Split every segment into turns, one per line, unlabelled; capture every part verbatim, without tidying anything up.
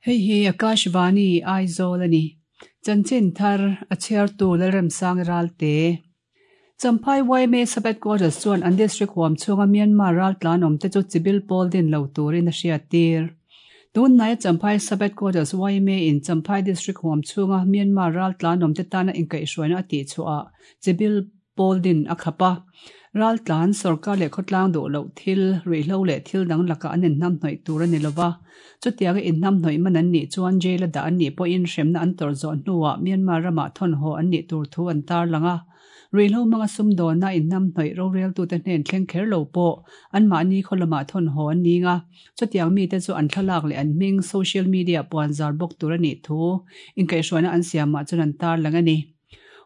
Hei hi Akashvani Aizawl ani. Chanchin thar a chhiartu Lalremsang Ralte. Champhai Y M A Sub-Headquarters chuan an district huam chhunga Myanmar raltlan awm te chu chibil pawl din lo turin a hriattir. Tun hnaia Champhai Sub-Headquarters Y M A in Champhai district huam chhunga Myanmar raltlan awm te tana inkaihhruaina a tihchhuah chibil pawl din a khap a. Raltlan sorkar leh khawtlang duh loh thil, ruihhlo leh thil dang lakah an inhnamhnawih tur a ni lova. Chutianga inhnamhnawih man an nih chuan jail a dah an nih pawhin hremna an tawrh zawh hnuah Myanmar ramah thawn haw an nih tur thu an tarlang a. Ruihhlo hmanga sumdawnna inhnamhnawih roreltute hnen thleng kher lo pawh anmahni khaw lamah thawn haw an ning a. Chutiang mite chu an thlalak leh an hming social media puan zar bawk tur a nih thu inkaihhruaina an siamah chuan an tarlang a ni.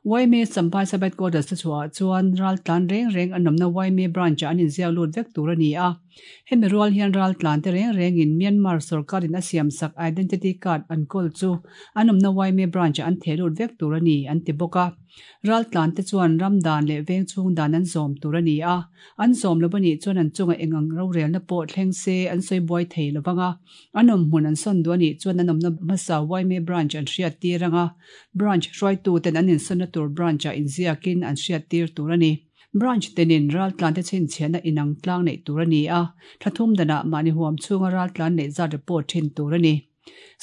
Y M A Champhai Sub-Headquarters te chhuah chuan raltlan reng reng an awmna Y M A branch ah an inziak lut vek tur a ni a. Hemi rual hian raltlan te reng rengin Myanmar sorkarin a siam sak identity card an kawl chu an awmna Y M A branch ah an theh lut vek tur a ni an ti bawk a. Raltlan te chuan ram dan leh veng chhung dan an zawm tur a ni a. An zawm lo a nih chuan an chunga engang rorelna pawh thleng se an sawi buai thei lovang a. An awm hmun an sawn duh a nih chuan an awmna hmasa Y M A branch an hriattir anga. Branch hruaituten an insawnna tur branch ah inziakin an hriattir tur a ni. Branch tenin raltlan te chhinchhiahna inang tlang neih tur a ni a. Thla thum danah mahni huam chhunga raltlan neih zat report thin tur a ni.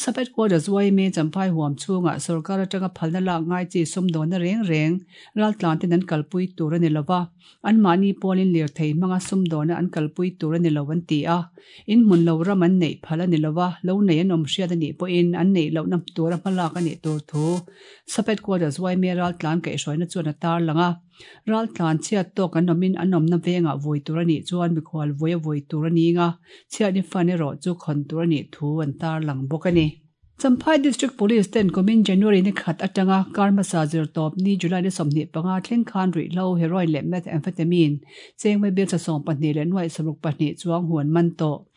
Sub-Headquarters Y M A Champhai huam chhunga sorkar atanga phalna lak ngai chi sumdawnna reng reng raltlan ten an kalpui tur a ni lova. Anmahni pawlin lirthei hmanga sumdawnna an kalpui tur a ni lo an ti a. In hmun lo ram an neih phal a ni lova. Lo nei an awm hriat a nih pawhin an neih lohna tura hmalak a nih tur thu Sub-Headquarters Y M A raltlan kaihhruaina chuan a tarlang a. Raltlan chhiat tawk an awmin an awmna vengah vui tur a nih chuan mikhual vui a vui tur a ning a. Chhiatni fund erawh chu khawn tur a nih thu an tarlang bawk a ni. Champhai District Police ten kumin January ni khat atanga kar hmasa zirtawp ni July ni sawmhnih panga thleng khan ruihhlo heroin leh methamphetamine cheng vaibel za sawm pahnih leh nuaih saruk pahnih chuang huan man tawh.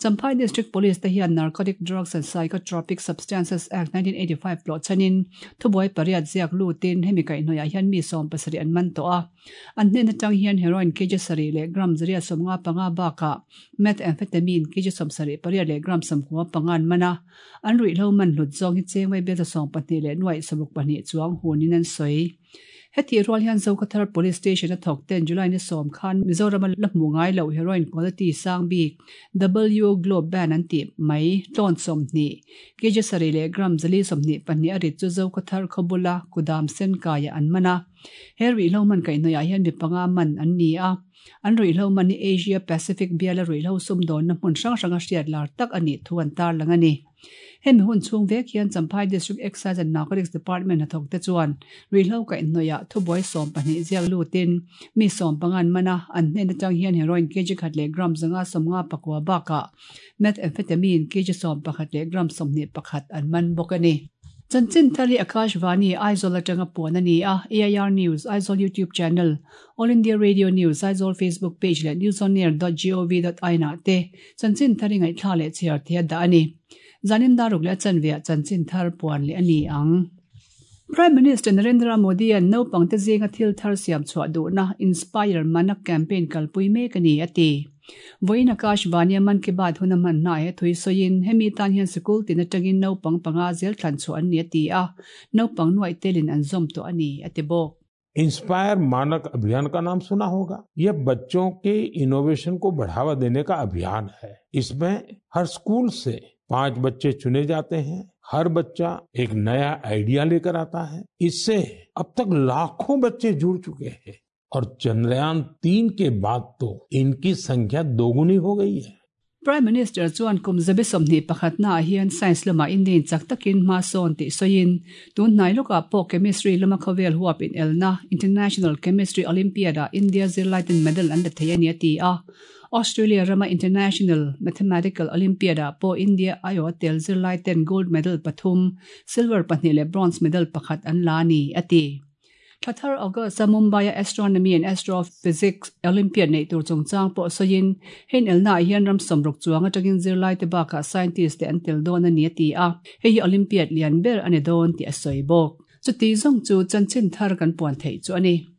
Champhai District Police te hian Narcotic Drugs and Psychotropic Substances Act nineteen eighty-five tlawh chanin thubuai pariat ziak lutin hemi kaihhnawih ah hian mi sawm pasarih an man tawh a. An hnen atang hian heroin kg sarih leh gram zariat sawmnga panga bakah methamphetamine kg sawmsarih pariat leh gram sawmkua panga an man a. An ruihhlo man hlut zawng hi cheng vaibel za sawm pahnih leh nuaih saruk pahnih chuang hunin an sawi. Heti rual hian Zokhawthar Police Station a thawk ten July ni sawm khan Mizoram a la hmu ngai lo heroin quality sang bik W Globe Band an tih mai tlawn sawmhnih kg sarih leh gram zali sawmhnih pahnih a rit chu Zokhawthar khawbula kudam sen kaiah an man a. He ruihhlo man kaihhnawih ah hian mi panga man an ni a. An ruihhlo man hi Asia Pacific biala ruihhlo sumdawnna hmun hrang hranga hriat lar tak a nih thu an tarlang a ni. Hemi hun chhung vek hian Champhai District Excise and Narcotics Department hnathawk te chuan ruihhlo kaihhnawih ah thubuai sawm pahnih ziak lutin mi sawm panga an man a. An hnen atang hian heroin kg khat leh gram zanga sawmnga pakua bakah methamphetamine kg sawm pakhat leh gram sawmhnih pakhat an man bawk a ni. Chanchin thar hi Akashvani Aizawl atanga puan a ni a. A I R News Aizawl YouTube channel, All India Radio News Aizawl Facebook page leh newsonair dot gov dot in ah te chanchin thar hi ngaihthlak leh chhiar thei a dah a ni. Zanin dar ruk leh a chanve ah chanchin thar puan leh a ni ang. Prime Minister Narendra Modi an naupang te zinga thil thar siam chhuah duhna Inspire Manak campaign kalpui mek a ni a ti. Vawiin Akashvani a Mann Ki Baat hun a hman hna he thui sawiin hemi tan hian sikul tin atangin naupang panga zel thlan chhuah an ni a ti a. Naupang nuaih telin an zawm tawh a ni a ti bawk.
Inspire मानक अभियान का नाम सुना होगा। यह बच्चों के इनोवेशन को बढ़ावा देने का अभियान है। इसमें हर स्कूल से पांच बच्चे चुने जाते हैं। हर बच्चा एक नया आइडिया लेकर आता है। इससे अब तक लाखों बच्चे जुड़ चुके हैं और चंद्रयान तीन के बाद तो इनकी संख्या दोगुनी हो गई है।
Prime Minister chuan kum zabi sawmhnih pakhatna ah hian science lamah Indian chak takin hma sawn tih sawiin tun hnai lawkah pawh chemistry lama khawvel huap in elna International Chemistry Olympiad ah India zirlai ten medal an la thei a ni a ti a. Australia rama International Mathematical Olympiad ah pawh India aiawh a tel zirlai ten gold medal pathum, silver pahnih leh bronze medal pakhat an la a ni a ti. Thla thar August a Mumbai a Astronomy and Astrophysics Olympiad nei tur chungchang pawh sawiin hen elna ah hian ram sawmruk chuang atangin zirlai te bakah scientist te an tel dawn a ni a ti a. Hei hi Olympiad lian ber a ni dawn tih a sawi bawk. Chuti zawng chu chanchin thar kan puan theih chu a ni.